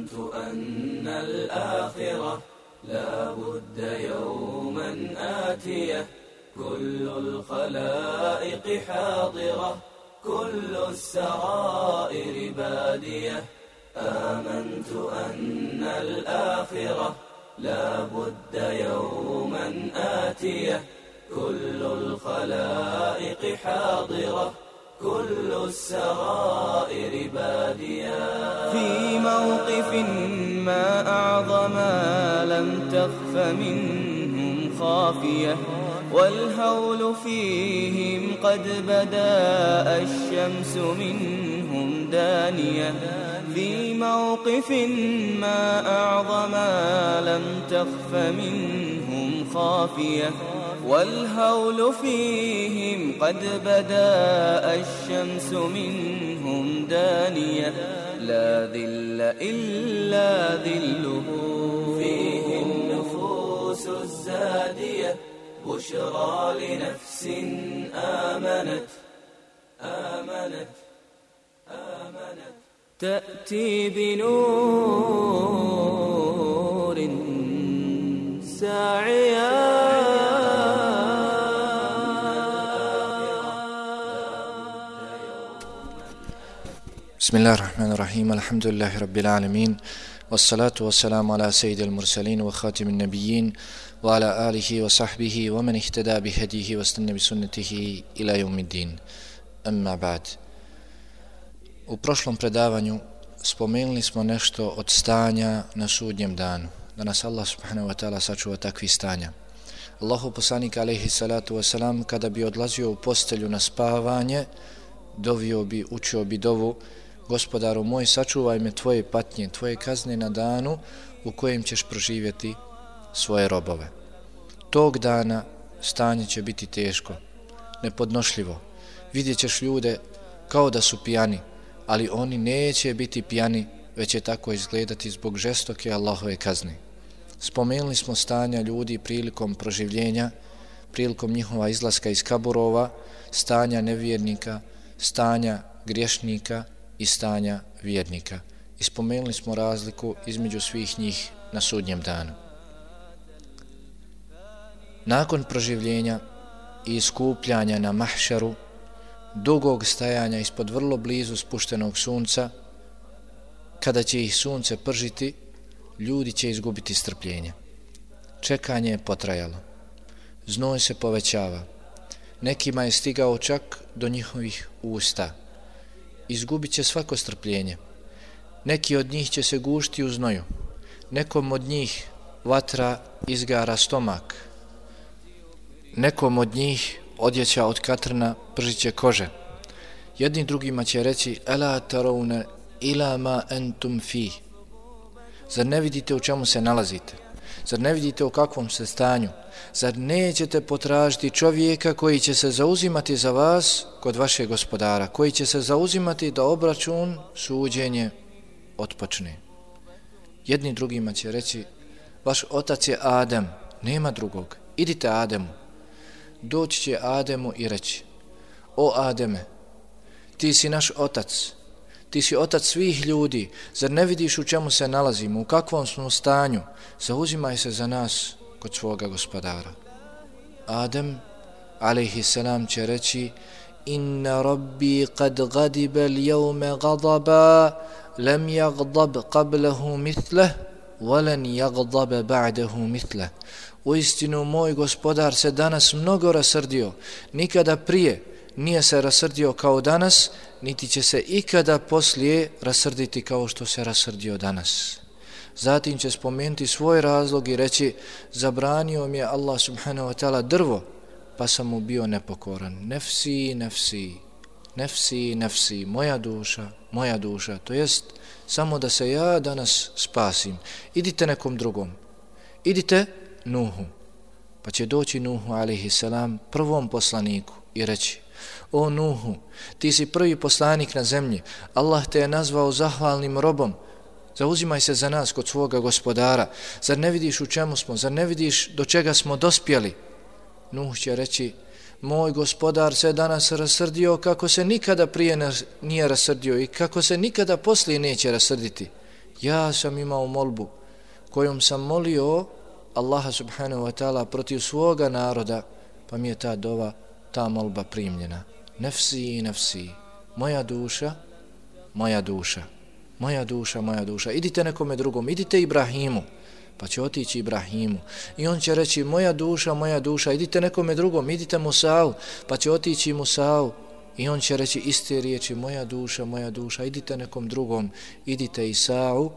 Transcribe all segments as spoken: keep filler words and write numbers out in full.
آمنت أن الآخرة لا بد يوما آتية كل الخلائق حاضرة كل السرائر بادية آمنت أن الآخرة لا بد يوما آتية كل الخلائق حاضرة كل السرائر بادية في موقف ما أعظم لم تخف منهم خافية والهول فيهم قد بدا الشمس منهم دانية في موقف ما أعظم لم تخف منهم خافية والهول فيهم قد بدا الشمس منهم دانية لا ذل إلا ذله فيه النفوس الزادية بشرى لنفس آمنت آمنت آمنت تأتي بنور ساعيا بسم الله الرحمن الرحيم الحمد لله رب العالمين والصلاة والسلام على سيد المرسلين وخاتم النبيين وعلى آله وصحبه ومن اهتدى بهديه واستنى بسنته إلى يوم الدين أما بعد. U prošlom predavanju spomenuli smo nešto od stanja na sudnjem danu, da nas Allah subhanahu wa ta'ala sačuva takvih stanja. Allahu poslanik alejhi salatu wasalam kada bi odlazio u postelju na spavanje, dovio bi, učio bi dovu: Gospodaru moj, sačuvaj me tvoje patnje, tvoje kazne na danu u kojem ćeš proživjeti svoje robove. Tog dana stanje će biti teško, nepodnošljivo. Vidjet ćeš ljude kao da su pijani, ali oni neće biti pijani, već će tako izgledati zbog žestoke Allahove kazne. Spomenuli smo stanja ljudi prilikom proživljenja, prilikom njihova izlaska iz kaburova, stanja nevjernika, stanja griješnika i stanja vjernika. I spomenuli smo razliku između svih njih na sudnjem danu. Nakon proživljenja i iskupljanja na mahšaru, dugog stajanja ispod vrlo blizu spuštenog sunca, kada će ih sunce pržiti, ljudi će izgubiti strpljenje. Čekanje je potrajalo. Znoj se povećava. Nekima je stigao čak do njihovih usta. Izgubit će svako strpljenje. Neki od njih će se gušti u znoju. Nekom od njih vatra izgara stomak. Nekom od njih odjeća od katrna pržiće kože. Jedni drugima će reći: Ela tarawna ila ma antum fi. Zar ne vidite u čemu se nalazite? Zar ne vidite u kakvom se stanju? Zar nećete potražiti čovjeka koji će se zauzimati za vas kod vašeg gospodara, koji će se zauzimati da obračun, suđenje otpočne? Jedni drugima će reći: vaš otac je Adem, nema drugog, idite Ademu. Doći će Ademu i reći: o Ademe, ti si naš otac, ti si otac svih ljudi, zar ne vidiš u čemu se nalazimo, u kakvom smo stanju, zauzimaj se za nas kod svoga gospodara. Adem alejhi selam će reći: inna rabbi qad gadiba al-yawma ghadaba lam yaghdab qablahu mithlah wa lan yaghdab ba'dahu mithlah. Uistinu moj gospodar se danas mnogo rasrdio, nikada prije nije se rasrdio kao danas, niti će se ikada poslije rasrditi kao što se rasrdio danas. Zatim će spomenuti svoj razlog i reći: zabranio mi je Allah subhanahu wa ta'ala drvo, pa sam mu bio nepokoran. Nefsi, nefsi, nefsi, nefsi, moja duša, moja duša, to jest samo da se ja danas spasim. Idite nekom drugom, idite Nuhu. Pa će doći Nuhu alejhi selam prvom poslaniku i reći: o Nuhu, ti si prvi poslanik na zemlji, Allah te je nazvao zahvalnim robom, zauzimaj se za nas kod svoga gospodara, zar ne vidiš u čemu smo, zar ne vidiš do čega smo dospjeli? Nuh će reći: moj gospodar se danas rasrdio kako se nikada prije nije rasrdio i kako se nikada poslije neće rasrditi. Ja sam imao molbu kojom sam molio Allaha subhanahu wa ta'ala protiv svoga naroda, pa mi je ta dova, ta molba primljena. Nefsi, nefsi, moja duša, moja duša, moja duša, moja duša. Idite nekome drugom, idite Ibrahimu, pa će otići Ibrahimu. I on će reći, moja duša, moja duša, idite nekome drugom, idite Musa'u, pa će otići Musa'u. I on će reći iste riječi, moja duša, moja duša, idite nekom drugom, idite Isa'u.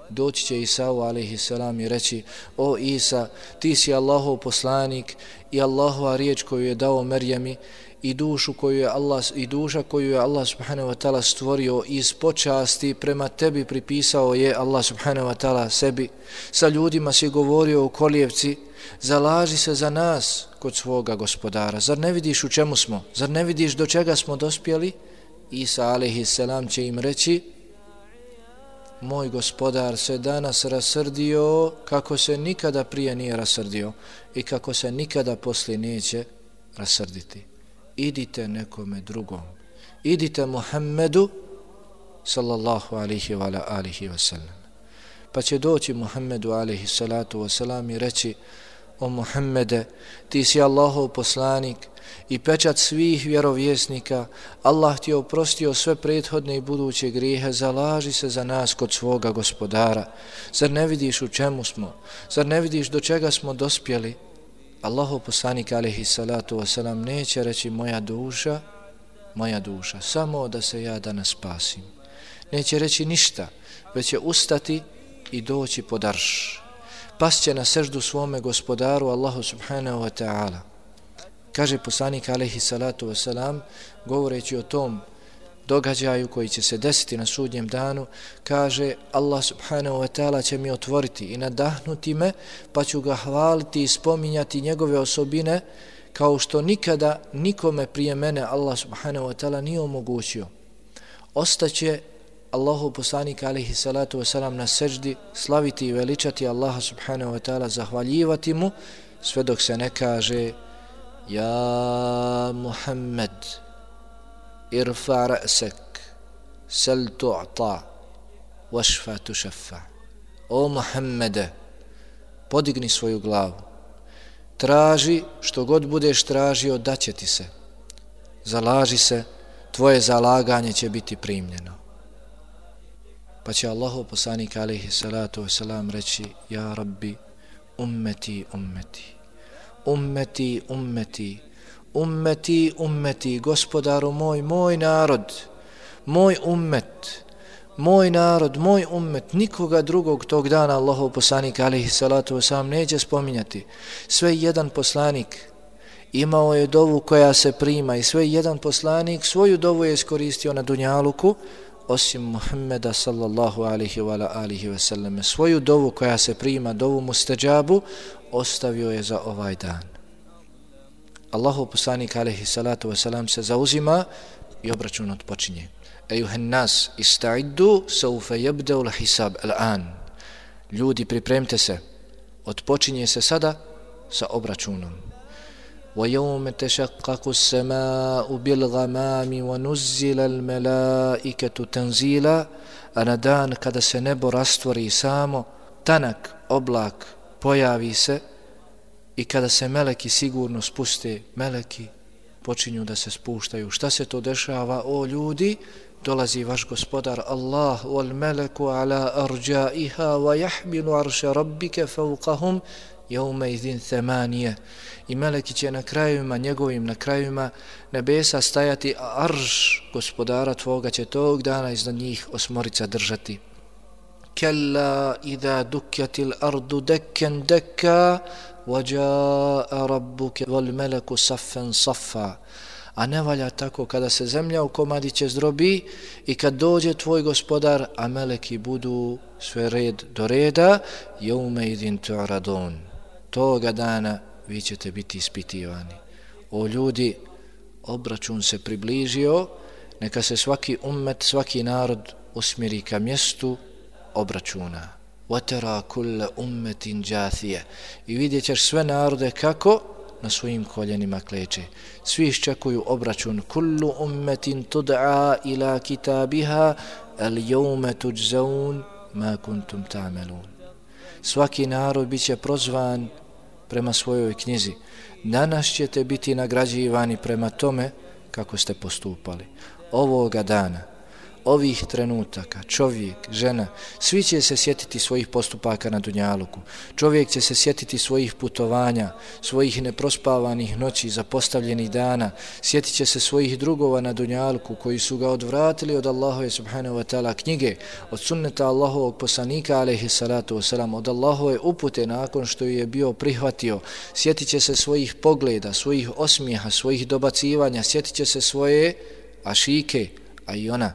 Doći će Isa'u alejhi selam i reći, o Isa, ti si Allahov poslanik i Allahova riječ koju je dao Merjemi i dušu koju je Allah i duša koju je Allah subhanahu wa ta'ala stvorio iz počasti prema tebi pripisao je Allah subhanahu wa ta'ala sebi. Sa ljudima si govorio u kolijevci, zalaži se za nas kod svoga gospodara. Zar ne vidiš u čemu smo? Zar ne vidiš do čega smo dospjeli? Isa alejhi selam će im reći, moj gospodar se danas rasrdio kako se nikada prije nije rasrdio i kako se nikada poslije neće rasrditi. Idite nekome drugom. Idite Muhammedu sallallahu alihi wa alihi wa sallam. Pa će doći Muhammedu alihi salatu wa salam i reći, o Muhammede, ti si Allahov poslanik i pečat svih vjerovjesnika, Allah ti je oprostio sve prethodne i buduće grijehe, zalaži se za nas kod svoga gospodara. Zar ne vidiš u čemu smo? Zar ne vidiš do čega smo dospjeli? Allahov poslanik alejhi salatu wasalam neće reći moja duša, moja duša, samo da se ja danas spasim. Neće reći ništa, već će ustati i doći pod arš. Pasće na seždu svome gospodaru Allahu subhanahu wa ta'ala. Kaže poslanik alejhi salatu wasalam, govoreći o tom događaju koji će se desiti na sudnjem danu, kaže Allah subhanahu wa ta'ala će mi otvoriti i nadahnuti me, pa ću ga hvaliti i spominjati njegove osobine kao što nikada nikome prije mene Allah subhanahu wa ta'ala nije omogućio. Ostaće Allahu poslanik alejhi salatu wasalam na seždi, slaviti i veličati Allaha subhanahu wa ta'ala, zahvaljivati mu, sve dok se ne kaže ja Muhammed irfa ra'sak sal tu'ta washfa tushaffa. O Muhammede, podigni svoju glavu, traži što god budeš tražio, daće ti se, zalaži se, tvoje zalaganje će biti primljeno. Pa će Allahov poslanik alejhi salatu wasalam reći, ja Rabbi, ummeti, ummeti, ummeti, ummeti, ummeti, ummeti, gospodaru moj, moj narod, moj ummet, moj narod, moj ummet, nikoga drugog tog dana Allahov poslanik alejhi salatu wasalam neće spominjati. Sve jedan poslanik imao je dovu koja se prima i sve jedan poslanik svoju dovu je iskoristio na dunjaluku, osim Muhammeda sallallahu alihi wa alihi wa sallam. Svoju dovu koja se prima, dovu mustađabu, ostavio je za ovaj dan. Allahov poslanik alejhi salatu wasalam se zauzima i obračun odpočinje. Ejuhen nas, ista'iddu, saufe jebdeu l'hisab al'an. Ljudi, pripremite se, odpočinje se sada sa obračunom. وَيَوْمَ تَشَقَّقُ السَّمَاءُ بِالْغَمَامِ وَنُزِّلَ الْمَلَائِكَةُ تَنْزِيلًا. A na dan kada se nebo rastvori samo, tanak oblak pojavi se i kada se meleki sigurno spuste, meleki počinju da se spuštaju. Šta se to dešava, o ljudi? Dolazi vaš gospodar Allah, wal meleku ala arjaiha wa yahmilu arsha rabbika fawqahum yawma idhin thamaniyah. I meleki će na krajevima njegovim, na krajevima nebesa stajati, a arš gospodara tvoga će tog dana iznad njih osmorica držati. Kalla idha dukkatil ardu dekkan dekka wa jaa rabbuka wal meleku saffan saffa. A ne valja tako kada se zemlja u komadiće zdrobi i kad dođe tvoj gospodar, a meleki budu sve red do reda, jeume idin tu'radun. Toga dana vi ćete biti ispitivani. O ljudi, obračun se približio, neka se svaki ummet, svaki narod usmjeri ka mjestu obračuna. Watara kulla ummetin jathije. I vidjet ćeš sve narode kako na svojim koljenima kleče. Svi iščekuju obračun. Kullu ummetin tud'a ila kitabiha al jevme tuđzaun ma kuntum ta'malun. Svaki narod bit će prozvan prema svojoj knjizi. Danas ćete biti nagrađivani prema tome kako ste postupali. Ovoga dana, ovih trenutaka, čovjek, žena, svi će se sjetiti svojih postupaka na dunjaluku. Čovjek će se sjetiti svojih putovanja, svojih neprospavanih noći, zapostavljenih dana, sjetit će se svojih drugova na dunjaluku koji su ga odvratili od Allahove subhanahu wa ta'ala knjige, od sunneta Allahovog poslanika alejhi salatu wasalam, od Allahove upute nakon što je bio prihvatio. Sjetit će se svojih pogleda, svojih osmijeha, svojih dobacivanja, sjetit će se svoje ašike, a i ona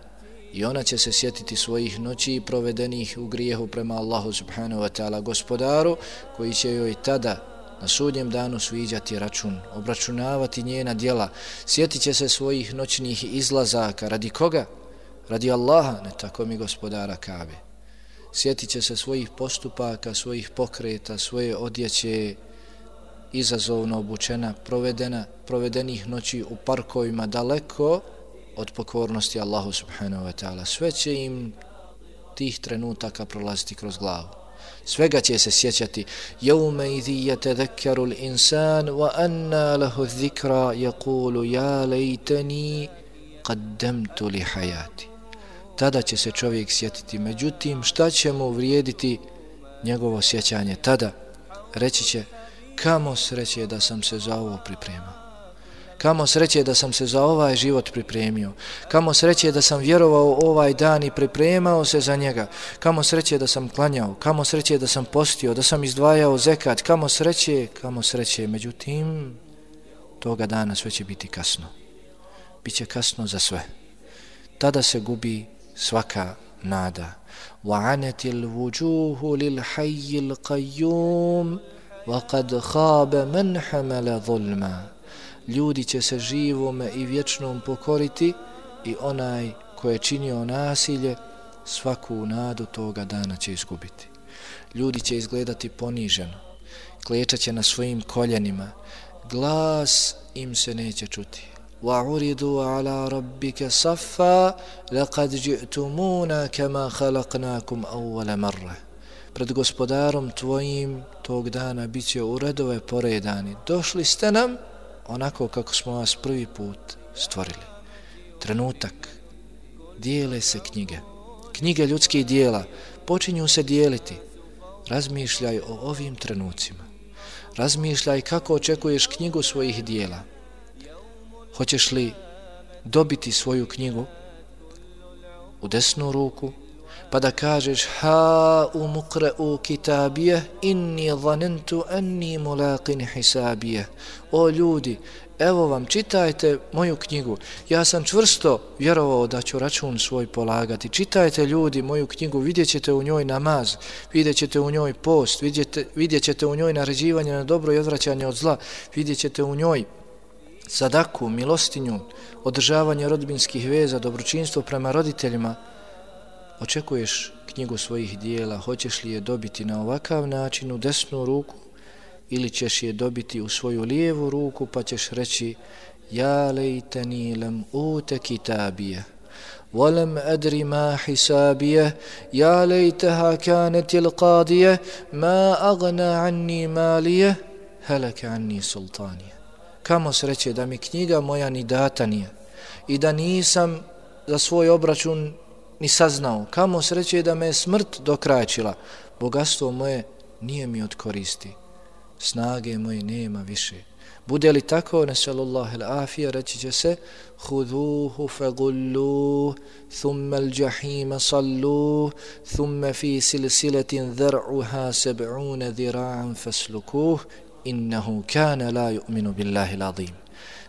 I ona će se sjetiti svojih noći provedenih u grijehu prema Allahu subhanahu wa ta'ala gospodaru, koji će joj tada na sudnjem danu sviđati račun, obračunavati njena djela. Sjetit će se svojih noćnih izlazaka. Radi koga? Radi Allaha, ne tako mi gospodara Kabe. Sjetit će se svojih postupaka, svojih pokreta, svoje odjeće, izazovno obučena, provedena, provedenih noći u parkovima daleko od pokornosti Allahu subhanahu wa ta'ala. Sve će im tih trenutaka prolaziti kroz glavu. Svega će se sjećati. Jevme idhi yatadhakkaru l-insan wa anna lahu dhikra yaqulu ja lejteni qaddamtu li hayati. Tada će se čovjek sjetiti. Međutim, šta će mu vrijediti njegovo sjećanje? Tada reći će, kamo sreće da sam se za ovo pripremao. Kamo sreće da sam se za ovaj život pripremio. Kamo sreće da sam vjerovao ovaj dan i pripremao se za njega. Kamo sreće da sam klanjao. Kamo sreće da sam postio, da sam izdvajao zekat. Kamo sreće, kamo sreće. Međutim, toga dana sve će biti kasno. Biće kasno za sve. Tada se gubi svaka nada. وَعَنَتِ الْوُجُوهُ لِلْحَيِّ الْقَيُّومِ وَقَدْ خَابَ مَنْ حَمَلَ ظُلْمًا. Ljudi će se živome i vječnom pokoriti i onaj ko je činio nasilje svaku nadu toga dana će izgubiti. Ljudi će izgledati poniženo, klečat će na svojim koljenima, glas im se neće čuti. وَعُرِضُوا عَلَى رَبِّكَ صَفًّا لَقَدْ جِئْتُمُونَا كَمَا خَلَقْنَاكُمْ أَوَّلَ مَرَّةٍ. Pred gospodarom tvojim tog dana bit će u redove poredani. Došli ste nam onako kako smo vas prvi put stvorili. Trenutak. Dijele se knjige. Knjige ljudskih dijela počinju se dijeliti. Razmišljaj o ovim trenucima. Razmišljaj kako očekuješ knjigu svojih dijela. Hoćeš li dobiti svoju knjigu u desnu ruku, pa da kažeš ha umuqra'u kitabije inni zanentu anni mulaqin hisabije. O ljudi, evo vam, čitajte moju knjigu. Ja sam čvrsto vjerovao da ću račun svoj polagati. Čitajte ljudi moju knjigu, vidjet ćete u njoj namaz, vidjet ćete u njoj post, vidjet, vidjet ćete u njoj naređivanje na dobro i odvraćanje od zla, vidjet ćete u njoj sadaku, milostinju, održavanje rodbinskih veza, dobročinstvo prema roditeljima. Očekuješ knjigu svojih dijela, hoćeš li je dobiti na ovakav način u desnu ruku ili ćeš je dobiti u svoju lijevu ruku pa ćeš reći ja lejteni lam ute kitabije ولم أدري ما حسابيه يا ليتها كانت القاضية ما أغنى عني ماليه هلك عني سلطانيه. Kamo sreće da mi knjiga moja ni data nije i da nisam za svoj obračun ni saznao. Kamo sreće da me smrt dokrajčila. Bogatstvo moje nije mi od koristi. Snage moje nema više. Bude li tako, nesallallahu al-afija, reći će se Huduhu fagulluh, thumma al-jahima salluh, thumma fi silsiletin dhar'uha seb'una dhira'an faslukuh, innahu kana la yu'minu billahi l'azim.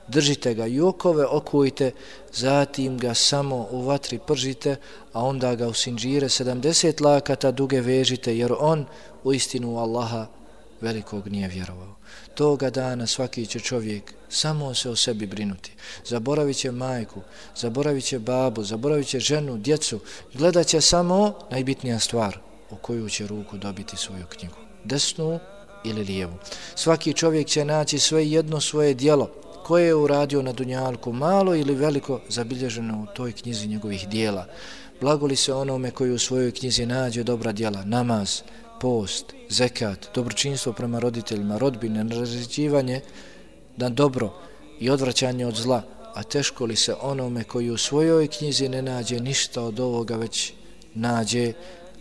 Držite ga i okove okujte, zatim ga samo u vatri pržite, a onda ga u sinđire sedamdeset lakata duge vežite, jer on u istinu Allaha velikog nije vjerovao. Toga dana svaki će čovjek samo se o sebi brinuti. Zaboravit će majku, zaboravit će babu, zaboravit će ženu, djecu. Gledat će samo najbitnija stvar, u koju će ruku dobiti svoju knjigu. Desnu ili lijevu. Svaki čovjek će naći sve jedno svoje djelo koje je uradio na dunjalku, malo ili veliko, zabilježeno u toj knjizi njegovih dijela. Blagoli se onome koji u svojoj knjizi nađe dobra djela, namaz, post, zekat, dobročinstvo prema roditeljima, rodbine, naređivanje na dobro i odvraćanje od zla, a teško li se onome koji u svojoj knjizi ne nađe ništa od ovoga, već nađe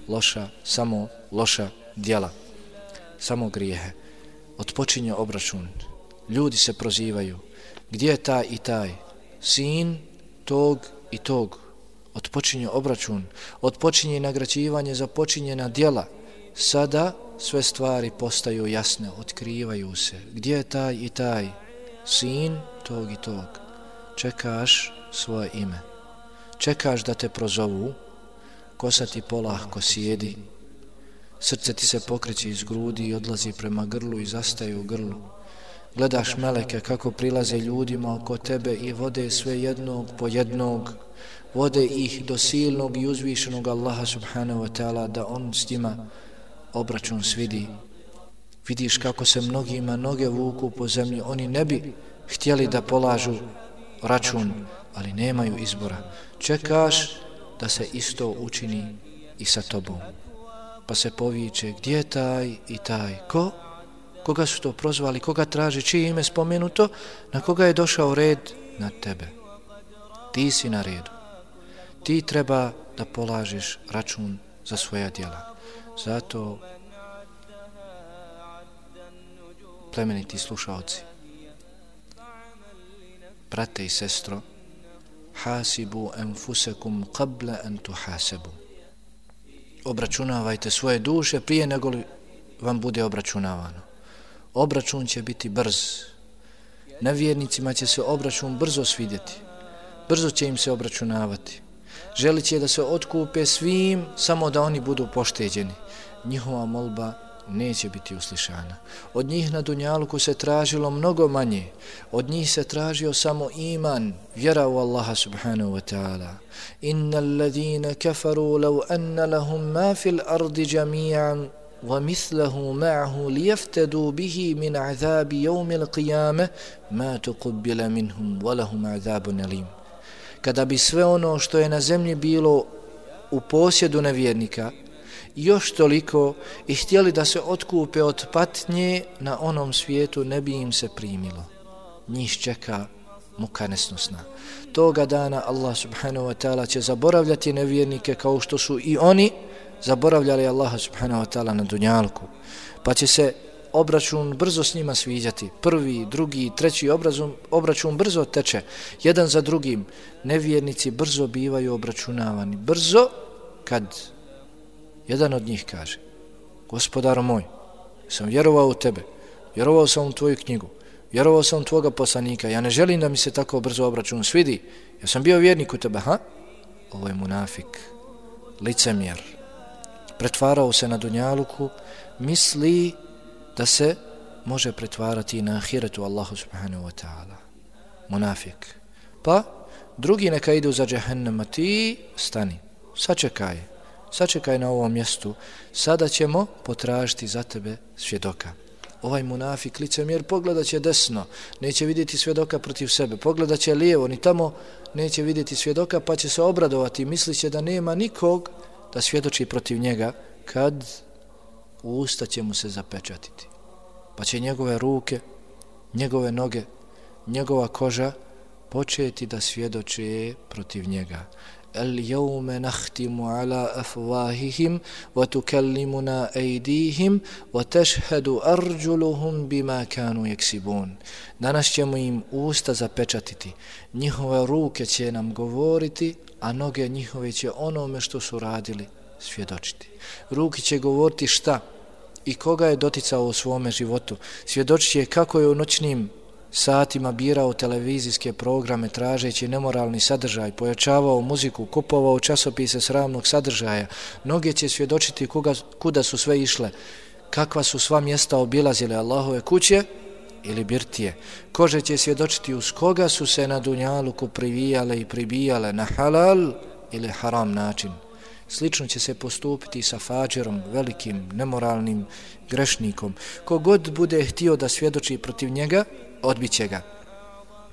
loša, samo loša djela, samo grijehe. Otpočinje obračun. Ljudi se prozivaju. Gdje je taj i taj? Sin tog i tog. Otpočinje obračun. Otpočinje nagrađivanje za počinjena djela. Sada sve stvari postaju jasne, otkrivaju se. Gdje je taj i taj? Sin tog i tog. Čekaš svoje ime. Čekaš da te prozovu. Kosa ti polahko sjedi. Srce ti se pokreće iz grudi i odlazi prema grlu i zastaje u grlu. Gledaš meleke kako prilaze ljudima oko tebe i vode sve jednog po jednog. Vode ih do silnog i uzvišenog Allaha subhanahu wa ta'ala da on s njima obračun svidi. Vidiš kako se mnogima noge vuku po zemlji. Oni ne bi htjeli da polažu račun, ali nemaju izbora. Čekaš da se isto učini i sa tobom. Pa se poviče, gdje je taj i taj? Ko? Koga su to prozvali? Koga traži? Čije ime spomenuto? Na koga je došao red? Na tebe. Ti si na redu. Ti treba da polažeš račun za svoja djela. Zato, plemeniti slušaoci, brate i sestro, hasibu enfusekum qabla an tuhasabu. Obračunavajte svoje duše prije nego li vam bude obračunavano. Obračun će biti brz. Nevjernicima će se obračun brzo svidjeti. Brzo će im se obračunavati. Želit će da se otkupe svim, samo da oni budu pošteđeni. Njihova molba neće biti uslišana. Od njih na dunjaluku se tražilo mnogo manje. Od njih se tražio samo iman, vjera u Allaha subhanahu wa ta'ala. Innal ladina kafaru law anna lahum ma fil ardi jami'an wa mithluhu ma'ahu liyaftadu bihi min azabi yawmil qiyamah ma tuqbila minhum wa lahum azabun alim. Kada bi sve ono što je na zemlji bilo u posjedu nevjernika još toliko i htjeli da se otkupe od patnje, na onom svijetu ne bi im se primilo. Njih čeka muka nesnosna. Toga dana Allah subhanahu wa ta'ala će zaboravljati nevjernike kao što su i oni zaboravljali Allaha subhanahu wa ta'ala na dunjalku. Pa će se obračun brzo s njima sviđati. Prvi, drugi, treći obračun, obračun brzo teče. Jedan za drugim. Nevjernici brzo bivaju obračunavani. Brzo kad jedan od njih kaže: Gospodaru moj, sam vjerovao u tebe, vjerovao sam u tvoju knjigu, vjerovao sam u tvoga poslanika, ja ne želim da mi se tako brzo obračun svidi, ja sam bio vjernik u tebe, ha? Ovo je munafik, licemjer, pretvarao se na dunjaluku, misli da se može pretvarati na ahiretu Allahu subhanahu wa ta'ala. Munafik. Pa drugi neka idu za džehennem, a ti stani, sačekaj. Sačekaj na ovom mjestu, sada ćemo potražiti za tebe svjedoka. Ovaj munafik, licemjer, pogledat će desno, neće vidjeti svjedoka protiv sebe, pogledat će lijevo, ni tamo neće vidjeti svjedoka, pa će se obradovati, mislit će da nema nikog da svjedoči protiv njega, kad usta će mu se zapečatiti. Pa će njegove ruke, njegove noge, njegova koža početi da svjedoče protiv njega. اليوم نختم على أفواههم وتكلمنا أيديهم وتشهد أرجلهم بما كانوا يكسبون. Danas ćemo im usta zapečatiti, njihove ruke će nam govoriti, a noge njihove će onome što su radili svjedočiti. Ruke će govoriti šta i koga je doticao u svome životu. Svjedočit će kako je u noćnim satima birao televizijske programe tražeći nemoralni sadržaj, pojačavao muziku, kupovao časopise sramnog sadržaja. Noge će svjedočiti kuga, kuda su sve išle, kakva su sva mjesta obilazile, Allahove kuće ili birtije. Kože će svjedočiti uz koga su se na dunjaluku privijale i pribijale, na halal ili haram način. Slično će se postupiti sa fađerom, velikim, nemoralnim grešnikom. Kogod bude htio da svjedoči protiv njega, odbit će ga.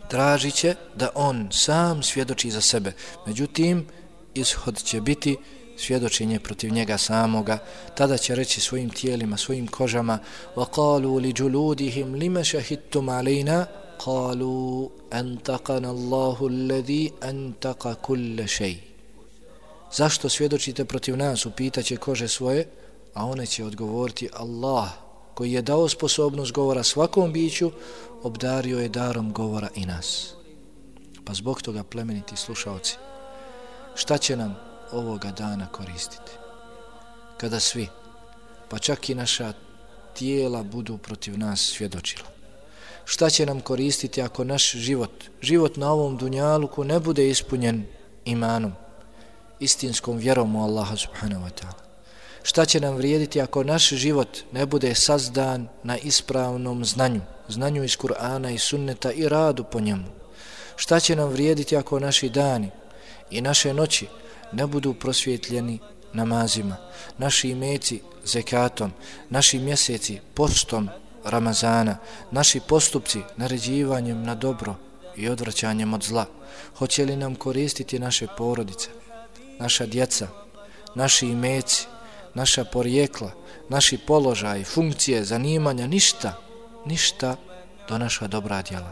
Tražit će da on sam svjedoči za sebe. Međutim, ishod će biti svjedočenje protiv njega samoga. Tada će reći svojim tijelima, svojim kožama: وَقَالُوا لِجُلُودِهِمْ لِمَ شَهِدْتُمْ عَلَيْنَا قَالُوا أَنْتَقَنَ اللَّهُ الَّذِي أَنْتَقَ كُلَّ شَيْءٍ. Zašto svjedočite protiv nas, upitaće kože svoje, a one će odgovoriti: Allah, koji je dao sposobnost govora svakom biću, obdario je darom govora i nas. Pa zbog toga, plemeniti slušaoci, šta će nam ovoga dana koristiti? Kada svi, pa čak i naša tijela, budu protiv nas svjedočila. Šta će nam koristiti ako naš život, život na ovom dunjaluku ne bude ispunjen imanom, istinskom vjerom u Allaha subhanahu wa ta'ala? Šta će nam vrijediti ako naš život ne bude sazdan na ispravnom znanju, znanju iz Kur'ana i sunneta i radu po njemu? Šta će nam vrijediti ako naši dani i naše noći ne budu prosvjetljeni namazima, naši imeci zekatom, naši mjeseci postom Ramazana, naši postupci naređivanjem na dobro i odvraćanjem od zla? Hoće li nam koristiti naše porodice, naša djeca, naši imeci, naša porijekla, naši položaji, funkcije, zanimanja? Ništa, ništa do naša dobra djela.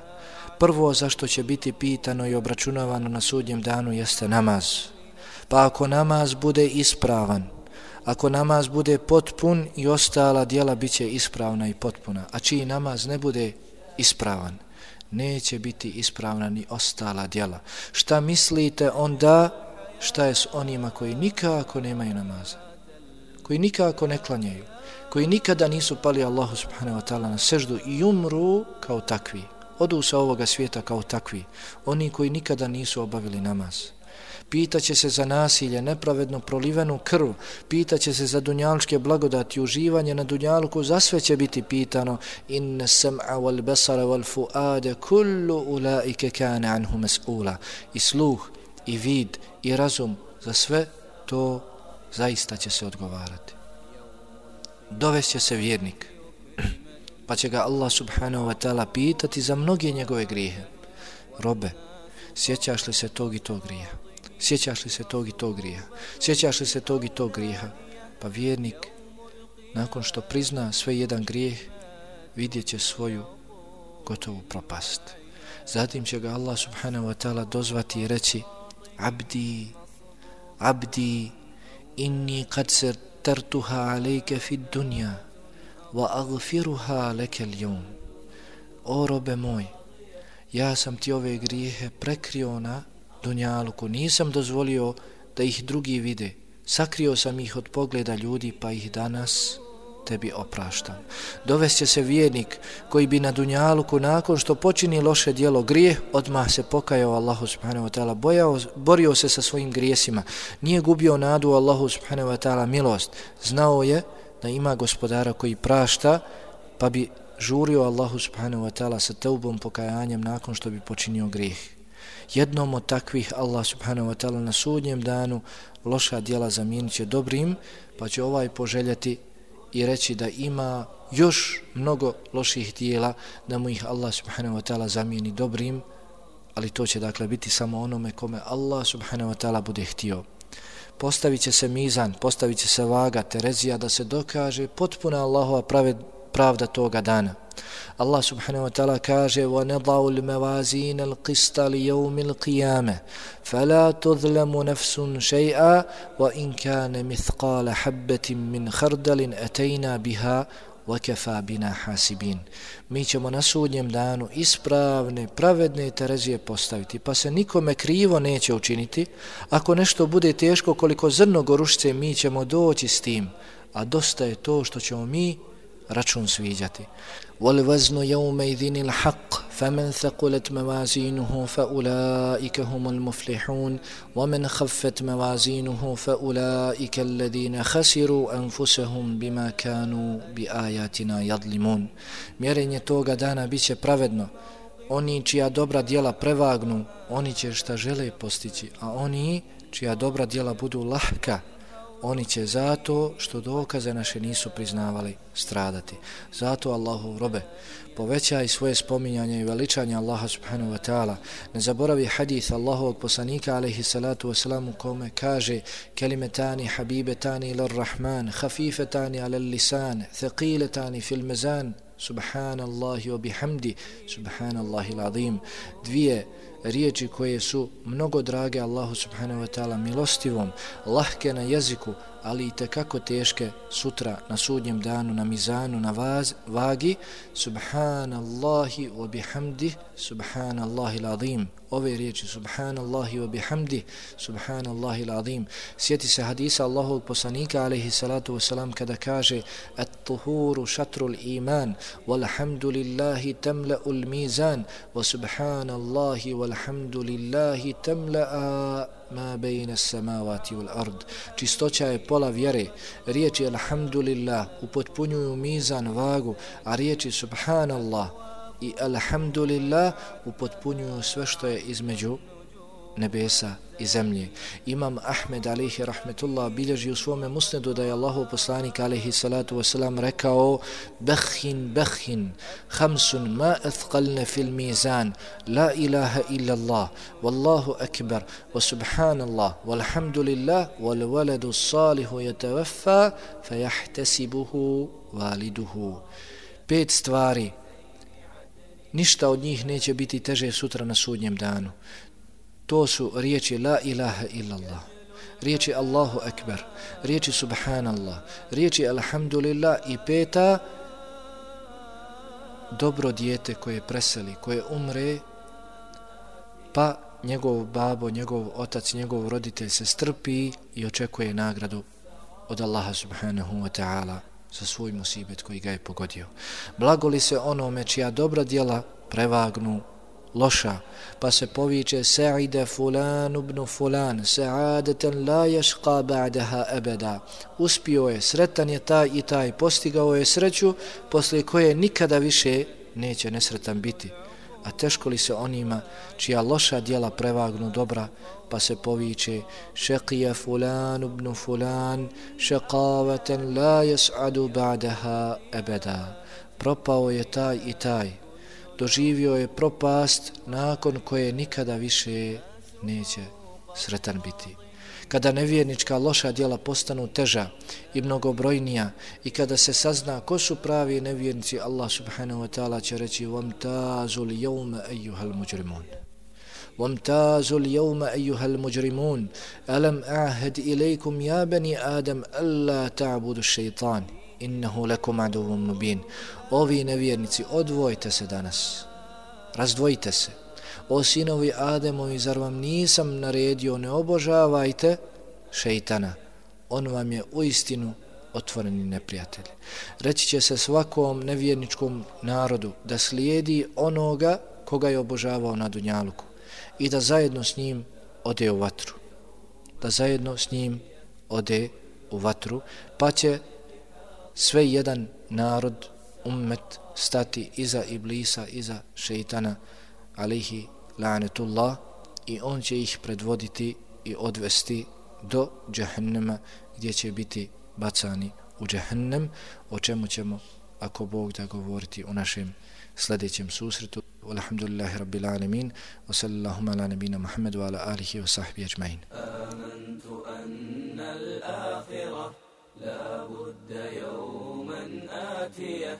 Prvo zašto će biti pitano i obračunavano na sudnjem danu jeste namaz. Pa ako namaz bude ispravan, ako namaz bude potpun, i ostala djela bit će ispravna i potpuna. A čiji namaz ne bude ispravan, neće biti ispravna ni ostala djela. Šta mislite onda, šta je s onima koji nikako nemaju namaza, koji nikako ne klanjaju, koji nikada nisu pali Allahu subhanahu wa ta'ala na seždu i umru kao takvi, odu sa ovoga svijeta kao takvi, oni koji nikada nisu obavili namaz? Pitaće se za nasilje, nepravedno prolivenu krv, pitaće se za dunjalučke blagodati, uživanje na dunjaluku, za sve će biti pitano. Inna sam'a wal basara wal fu'ada kullu ulaike kana anhu mas'ula. I sluh, i vid, i razum, za sve to zaista će se odgovarati. Dovešće se vjernik, pa će ga Allah subhanahu wa ta'ala pitati za mnoge njegove grijehe. Robe, sjećaš li se tog i tog grijeha? Sjećaš li se tog i tog grijeha? Sjećaš li se tog i tog grijeha? Pa vjernik, nakon što prizna sve jedan grijeh, vidjet će svoju gotovu propast. Zatim će ga Allah subhanahu wa ta'ala dozvati i reći: Abdi, abdi, inni kad sertartuha alejke fid dunja, wa agfiruha leke ljum. O robe moj, ja sam ti ove grijehe prekrio na dunjaluku, nisam dozvolio da ih drugi vide, sakrio sam ih od pogleda ljudi, pa ih danas tebi opraštam. Dovešće se vjernik koji bi na dunjaluku, nakon što počini loše djelo, grijeh, odmah se pokajao Allahu subhanahu wa ta'ala, bojao, borio se sa svojim grijesima, nije gubio nadu Allahu subhanahu wa ta'ala milost, znao je da ima gospodara koji prašta, pa bi žurio Allahu subhanahu wa ta'ala sa teubom, pokajanjem nakon što bi počinio grijeh. Jednom od takvih Allah subhanahu wa ta'ala na sudnjem danu loša djela zamijenit će dobrim, pa će ovaj poželjeti i reći da ima još mnogo loših djela, da mu ih Allah subhanahu wa ta'ala zamijeni dobrim, ali to će dakle biti samo onome kome Allah subhanahu wa ta'ala bude htio. Postavit će se mizan, postavit će se vaga, terezija, da se dokaže potpuna Allahova praved, pravda toga dana. Allah subhanahu wa ta'ala kaže: وَنَضَعُ الْمَوَازِينَ الْقِسْطَ لِيَوْمِ الْقِيَامَةِ فَلَا تُظْلَمُ نَفْسٌ شَيْئًا وَإِنْ كَانَ مِثْقَالَ حَبَّةٍ مِّنْ خَرْدَلٍ أَتَيْنَا بِهَا وَكَفَى بِنَا حَاسِبِينَ. Mi ćemo na sudnjem danu ispravne, pravedne terezije postaviti, pa se nikome krivo neće učiniti. Ako nešto bude teško koliko zrno gorušice, mi ćemo doći s tim, a dosta je to što ćemo mi račun sviđati. وَالْوَزْنُ يَوْمَئِذٍ الْحَقِّ فَمَنْ ثَقُلَتْ مَوَازِينُهُ فَأُولَئِكَ هُمُ الْمُفْلِحُونَ وَمَنْ خَفَّتْ مَوَازِينُهُ فَأُولَئِكَ الَّذِينَ خَسِرُوا أَنفُسَهُمْ بِمَا كَانُوا بِآيَاتِنَا يَظْلِمُونَ. Mjerenje toga dana bit će pravedno. Oni čija dobra djela prevagnu, oni će šta žele postići, a oni čija dobra djela budu lahka, oni će zato što dokaze naše nisu priznavali stradati. Zato Allahov robe, povećaj svoje spominjanje i veličanje Allaha subhanahu wa ta'ala. Ne zaboravi hadith Allahovog poslanika alejhi salatu wasalam u kome kaže: kelimetani habibetani ilar rahman, hafifetani alal lisan, thaqiletani fil mizan, subhanallahi wa bihamdi, subhanallahi l'azim. Dvije riječi koje su mnogo drage Allahu subhanahu wa ta'ala, milostivom, lahke na jeziku, ali i tekako teške sutra na sudnjem danu, na mizanu, na vaz, vagi. Subhanallahi wa bihamdi, subhanallahi l'azim. Ove riječi subhanallahi wa bihamdi, subhanallahi l'azim. Sjeti se hadisa Allahovog poslanika alejhi salatu wasalam kada kaže: at-tuhuru šatrul iman, walhamdulillahi tamla'ul mizan, wa subhanallahi walhamdulillahi tamla'a ma bejna samavati wal ard. Čistoća je pola vjere. Riječi alhamdulillah upotpunjuju mizan, vagu, a riječi subhanallah i alhamdulillah upotpunjuju sve što je između nebesa i zemlje. Imam Ahmed alejhi rahmetullah bilježi u svome musnedu da je Allahov poslanik alejhi salatu wasalam rekao: bekhin bekhin hamsun ma athqalna fil mizan, la ilaha illa Allah, wallahu akbar, wa subhanallah, walhamdulillah, wal waladu salihu yatawaffa fayahtasibuhu waliduhu. Pet stvari, ništa od njih neće biti teže sutra na sudnjem danu. To su riječi la ilaha illallah, riječi Allahu akbar, riječi subhanallah, riječi alhamdulillah i peta, dobro dijete koje preseli, koje umre, pa njegov babo, njegov otac, njegov roditelj se strpi i očekuje nagradu od Allaha subhanahu wa ta'ala za svoj musibet koji ga je pogodio. Blagoli se onome čija dobra djela prevagnu loša, pa se poviče: sa'ide fulan ibn fulan, sa'adatan la yashqa ba'daha abada. Uspio je, sretan je taj i taj, postigao je sreću posle koje nikada više neće nesretan biti. A teško li se onima čija loša djela prevagnu dobra, pa se poviče: šaqija fulan ibn fulan, šaqavatan la yas'adu ba'daha abada. Propao je taj i taj, doživio je propast nakon koje nikada više neće sretan biti. Kada nevjernička loša djela postanu teža i mnogobrojnija i kada se sazna ko su pravi nevjernici, Allah subhanahu wa ta'ala će reći: vamtazul jevme ejuhal muđrimun. وامتازوا اليوم أيها المجرمون ألم أعهد إليكم يا بني آدم ألا تعبدوا الشيطان innahu lakum aduwwun mubin. Ovi nevjernici, odvojite se danas, razdvojite se. O sinovi Ademovi, zar vam nisam naredio, ne obožavajte šeitana, on vam je uistinu otvoreni neprijatelj. Reći će se svakom nevjerničkom narodu da slijedi onoga koga je obožavao na dunjaluku i da zajedno s njim ode u vatru. Da zajedno s njim ode u vatru, pa će sve jedan narod, ummet, stati iza Iblisa, iza šeitana, alihi la'netullah, i on će ih predvoditi i odvesti do džehennema, gdje će biti bacani u džehennem, o čemu ćemo, ako Bog da, govoriti u našem sljedećem susretu. Alhamdulillahi rabbil alamin, wa sallallahu ala nabina Muhammedu wa ala alihi wa sahbihi ajma'in. Amantu anna al-akhirah la budda yawman atiyah,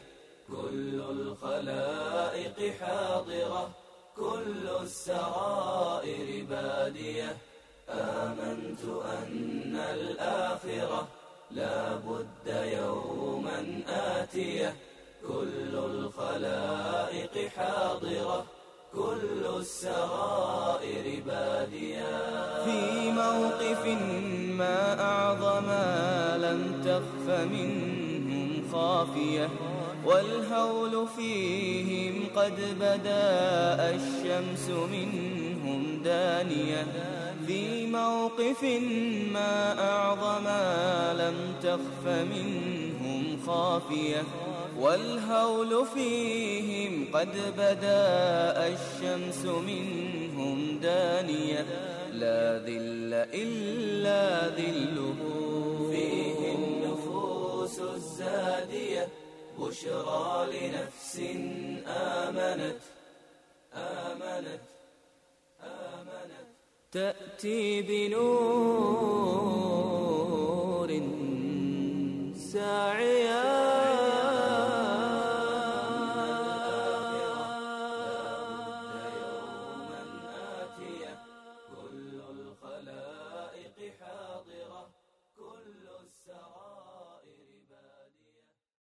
kullu al-khalaiqi hadirah, kullu as-sarairi badiyah. آمنت أن الآخرة لا بد يوما آتية، كل الخلائق حاضرة، كل السرائر بادية. في موقف ما أعظم لم تخف منهم خافية، والهول فيهم قد بدا الشمس منهم دانية. في موقف ما أعظم لم تخف منهم خافية، والهول فيهم قد بدا الشمس منهم دانية. لا ذل إلا ذله هادية بشرى لنفس آمنت آمنت آمنت تأتي بنور ساعية